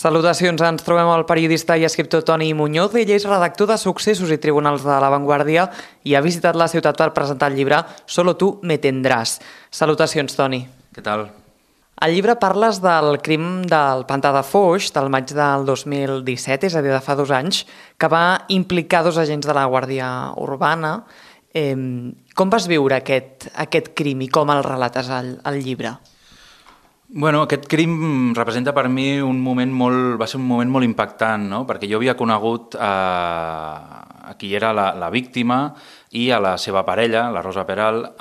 Salutacions, ens trobem amb el periodista i escriptor Toni Muñoz. Ell és redactor de Successos i Tribunals de La Vanguardia i ha visitat la ciutat per presentar el llibre Solo tú me tendrás. Salutacions, Toni. Què tal? Al llibre parles del crim del Pantà de Foix del maig del 2017, és a dir, de fa 2 anys, que va implicar 2 agents de la Guàrdia Urbana. Com vas viure aquest crim i com el relates al llibre? Bueno, aquest crim representa per mi va ser un moment molt impactant, no? Perquè jo havia conegut a qui era la víctima i a la seva parella, la Rosa Peral,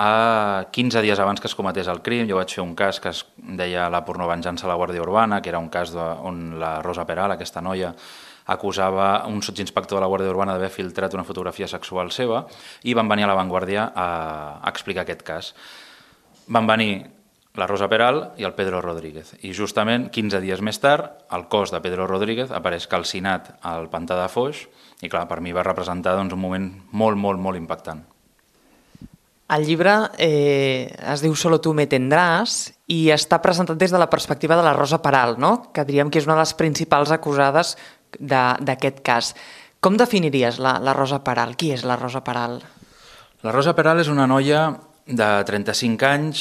15 dies abans que es cometés el crim. Jo vaig fer un cas que es deia La pornovenjança a la Guàrdia Urbana, que era un cas on la Rosa Peral, aquesta noia, acusava un sotsinspector de la Guàrdia Urbana d'haver filtrat una fotografia sexual seva i van venir a La Vanguardia a explicar aquest cas. Van venir la Rosa Peral i el Pedro Rodríguez. I justament 15 dies més tard, el cos de Pedro Rodríguez apareix calcinat al Pantà de Foix i, clar, per mi va representar un moment molt impactant. El llibre es diu Solo tú me tendrás i està presentat des de la perspectiva de la Rosa Peral, no? Que diríem que és una de les principals acusades d'aquest cas. Com definiries la Rosa Peral? Qui és la Rosa Peral? La Rosa Peral és una noia de 35 anys,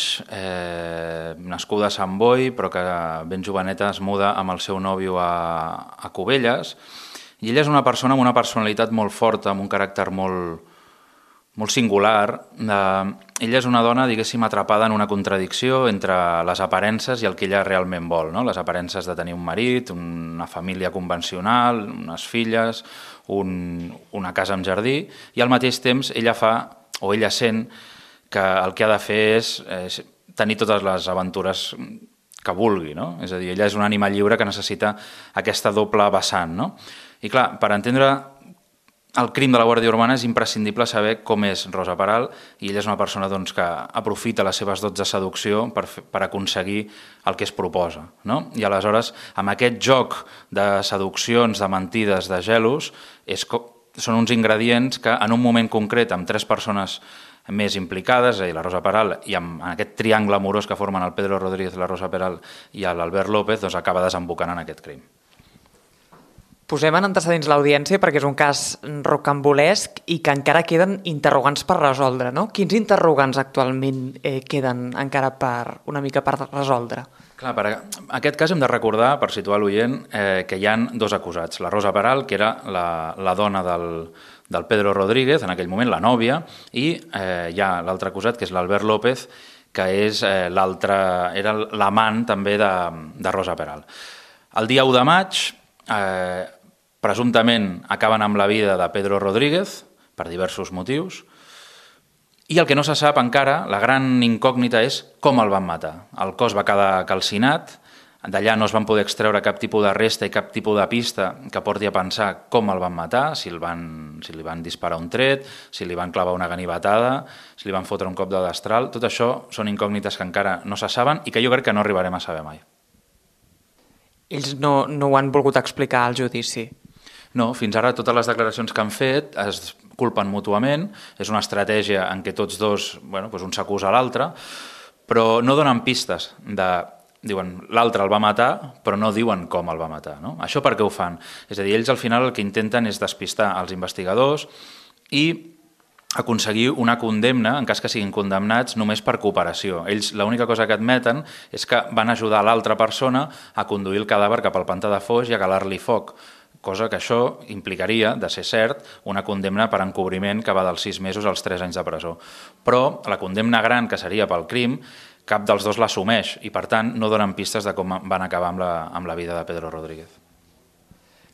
nascuda a Sant Boi, però que ben joveneta es muda amb el seu nòvio a Cubelles. I ella és una persona amb una personalitat molt forta, amb un caràcter molt singular. Ella és una dona, diguéssim, atrapada en una contradicció entre les aparences i el que ella realment vol, no? Les aparences de tenir un marit, una família convencional, unes filles, una casa amb jardí, i al mateix temps ella sent que el que ha de fer és tenir totes les aventures que vulgui, no? És a dir, ella és un ànima lliure que necessita aquesta doble vessant, no? I clar, per entendre el crim de la Guàrdia Urbana és imprescindible saber com és Rosa Peral, i ella és una persona que aprofita les seves dots de seducció per aconseguir el que es proposa, no? I aleshores, amb aquest joc de seduccions, de mentides, de gelos, són uns ingredients que en un moment concret, amb 3 persones més implicades, és a dir, la Rosa Peral, i amb aquest triangle amorós que formen el Pedro Rodríguez, la Rosa Peral i l'Albert López, acaba desembocant en aquest crim. Posem en antecedents l'audiència perquè és un cas rocambolesc i que encara queden interrogants per resoldre, no? Quins interrogants actualment queden encara una mica per resoldre? Clar, per aquest cas hem de recordar, per situar l'oient, que hi ha 2 acusats. La Rosa Peral, que era la dona del Pedro Rodríguez, en aquell moment la nòvia, i hi ha l'altre acusat, que és l'Albert López, que era l'amant també de Rosa Peral. El dia 1 de maig, presumptament acaben amb la vida de Pedro Rodríguez, per diversos motius, i el que no se sap encara, la gran incògnita, és com el van matar. El cos va quedar calcinat, d'allà no es van poder extreure cap tipus de resta i cap tipus de pista que porti a pensar com el van matar, si li van disparar un tret, si li van clavar una ganivetada, si li van fotre un cop de destral. Tot això són incògnites que encara no se saben i que jo crec que no arribarem a saber mai. Ells no ho han volgut explicar al judici? No, fins ara totes les declaracions que han fet es culpen mútuament, és una estratègia en què tots dos, un s'acusa a l'altre, però no donen pistes diuen l'altre el va matar, però no diuen com el va matar, no? Això per què ho fan? És a dir, ells al final el que intenten és despistar els investigadors i aconseguir una condemna, en cas que siguin condemnats, només per cooperació. Ells l'única cosa que admeten és que van ajudar l'altra persona a conduir el cadàver cap al Pantà de Foix i a calar-li foc, cosa que això implicaria, de ser cert, una condemna per encobriment que va dels 6 mesos als 3 anys de presó. Però la condemna gran, que seria pel crim, cap dels dos l'assumeix i, per tant, no donen pistes de com van acabar amb la vida de Pedro Rodríguez.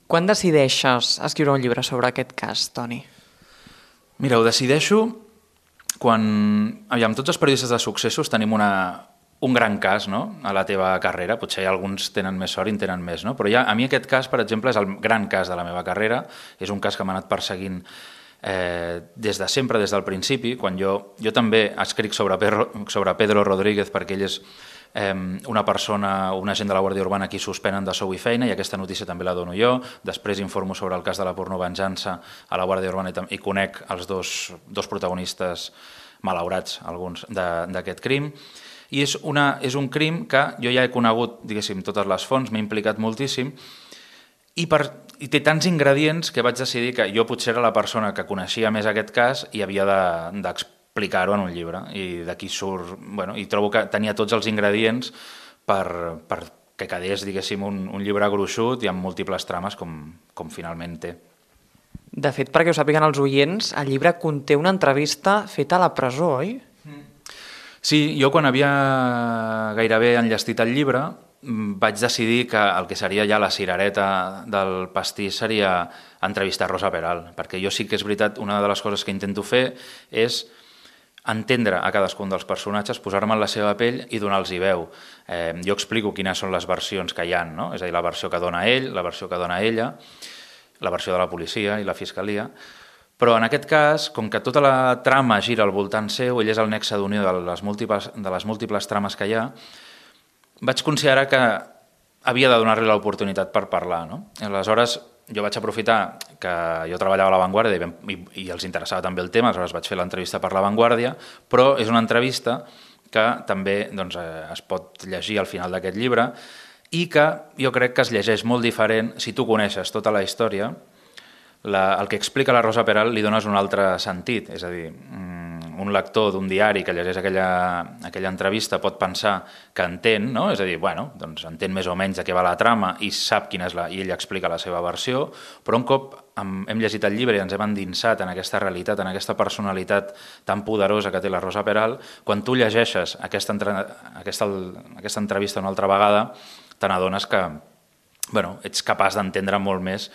Quan decideixes escriure un llibre sobre aquest cas, Toni? Mira, ho decideixo quan... Tots els periodistes de Successos tenim un gran cas, no?, a la teva carrera. Potser alguns tenen més sort i en tenen més, no? Però a mi aquest cas, per exemple, és el gran cas de la meva carrera. És un cas que m'ha anat perseguint des de sempre, des del principi, quan jo també escric sobre Pedro Rodríguez perquè ell és una persona, un agent de la Guàrdia Urbana a qui suspenen de sou i feina, i aquesta notícia també la dono jo. Després informo sobre el cas de la pornovenjança a la Guàrdia Urbana i conec els dos protagonistes malaurats, alguns, d'aquest crim. I és un crim que jo ja he conegut, diguéssim, totes les fonts, m'he implicat moltíssim, i té tants ingredients que vaig decidir que jo potser era la persona que coneixia més aquest cas i havia d'explicar-ho en un llibre. I d'aquí surt... Bueno, i trobo que tenia tots els ingredients per que quedés, diguéssim, un llibre gruixut i amb múltiples trames com finalment té. De fet, perquè ho sàpiguen els oients, el llibre conté una entrevista feta a la presó, oi? Sí, jo quan havia gairebé enllestit el llibre vaig decidir que el que seria ja la cirereta del pastís seria entrevistar Rosa Peral, perquè jo sí que és veritat, una de les coses que intento fer és entendre a cadascun dels personatges, posar-me en la seva pell i donar-los veu. Jo explico quines són les versions que hi ha, no? És a dir, la versió que dona ell, la versió que dona ella, la versió de la policia i la fiscalia, però en aquest cas, com que tota la trama gira al voltant seu, ell és el nexe d'unió de les múltiples trames que hi ha, vaig considerar que havia de donar-li l'oportunitat per parlar, no? Aleshores, jo vaig aprofitar que jo treballava a La Vanguardia i els interessava també el tema, aleshores vaig fer l'entrevista per La Vanguardia, però és una entrevista que també doncs, es pot llegir al final d'aquest llibre i que jo crec que es llegeix molt diferent si tu coneixes tota la història. El que explica la Rosa Peral li dones un altre sentit, és a dir, un lector d'un diari que llegeix aquella entrevista pot pensar que entén, no? És a dir, bueno, doncs entén més o menys de què va la trama i sap quina és i ella explica la seva versió, però un cop hem llegit el llibre i ens hem endinsat en aquesta realitat, en aquesta personalitat tan poderosa que té la Rosa Peral, quan tu llegeixes aquesta entrevista una altra vegada, te n'adones que ets capaç d'entendre molt més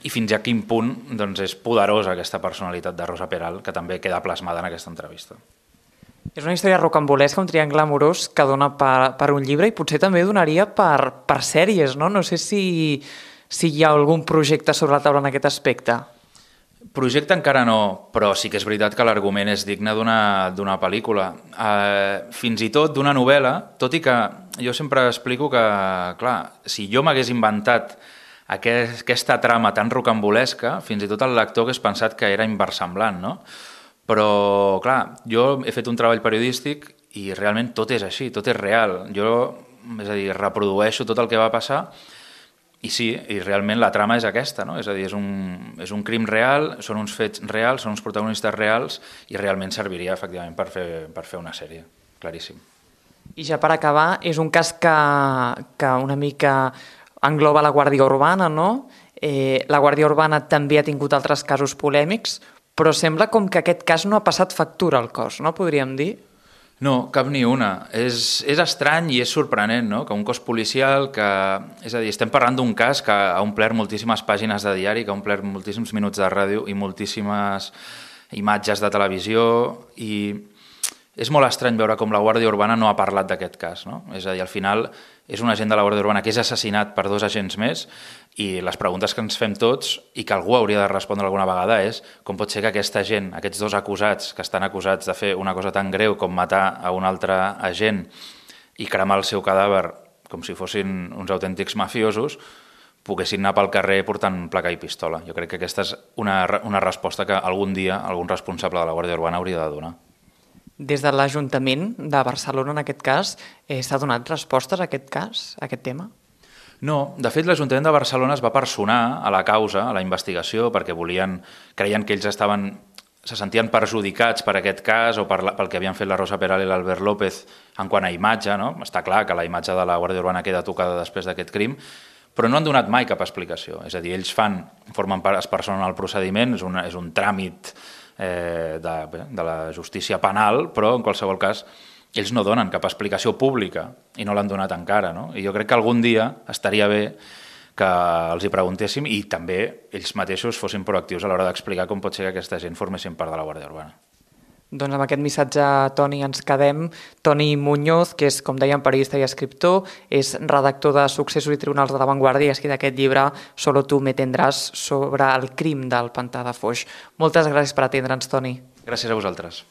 i fins a quin punt doncs, és poderosa aquesta personalitat de Rosa Peral, que també queda plasmada en aquesta entrevista. És una història rocambolesca, un triangle amorós que dona per un llibre i potser també donaria per sèries, no? No sé si hi ha algun projecte sobre la taula en aquest aspecte. Projecte encara no, però sí que és veritat que l'argument és digne d'una pel·lícula. Fins i tot d'una novel·la, tot i que jo sempre explico que, clar, si jo m'hagués inventat aquesta trama tan rocambolesca, fins i tot el lector hagués pensat que era inversemblant, no? Però, clar, jo he fet un treball periodístic i realment tot és així, tot és real. Jo, és a dir, reprodueixo tot el que va passar i sí, i realment la trama és aquesta, no? És a dir, és un crim real, són uns fets reals, són uns protagonistes reals i realment serviria, efectivament, per fer una sèrie, claríssim. I ja per acabar, és un cas que una mica engloba la Guàrdia Urbana, no? La Guàrdia Urbana també ha tingut altres casos polèmics, però sembla com que aquest cas no ha passat factura al cos, no? Podríem dir? No, cap ni una. És estrany i és sorprenent, no? Que un cos policial que... És a dir, estem parlant d'un cas que ha omplert moltíssimes pàgines de diari, que ha omplert moltíssims minuts de ràdio i moltíssimes imatges de televisió i és molt estrany veure com la Guàrdia Urbana no ha parlat d'aquest cas, no? És a dir, al final és un agent de la Guàrdia Urbana que és assassinat per 2 agents més i les preguntes que ens fem tots i que algú hauria de respondre alguna vegada és com pot ser que aquesta gent, aquests 2 acusats que estan acusats de fer una cosa tan greu com matar a un altre agent i cremar el seu cadàver com si fossin uns autèntics mafiosos, poguessin anar pel carrer portant placa i pistola. Jo crec que aquesta és una resposta que algun dia algun responsable de la Guàrdia Urbana hauria de donar. Des de l'Ajuntament de Barcelona, en aquest cas, s'ha donat respostes a aquest cas, a aquest tema? No, de fet l'Ajuntament de Barcelona es va personar a la causa, a la investigació, perquè creien que ells se sentien perjudicats per aquest cas o pel que havien fet la Rosa Peral i l'Albert López en quant a imatge, no? Està clar que la imatge de la Guàrdia Urbana queda tocada després d'aquest crim, però no han donat mai cap explicació. És a dir, ells es personen al procediment, és un tràmit de la justícia penal, però en qualsevol cas ells no donen cap explicació pública i no l'han donat encara, no? I jo crec que algun dia estaria bé que els hi preguntéssim i també ells mateixos fossin proactius a l'hora d'explicar com pot ser que aquesta gent formessin part de la Guàrdia Urbana. Doncs amb aquest missatge, Toni, ens quedem. Toni Muñoz, que és, com dèiem, periodista i escriptor, és redactor de Successos i Tribunals de la Vanguardia i ha escrit aquest llibre Solo tú me tendrás sobre el crim del pantà de Foix. Moltes gràcies per atendre'ns, Toni. Gràcies a vosaltres.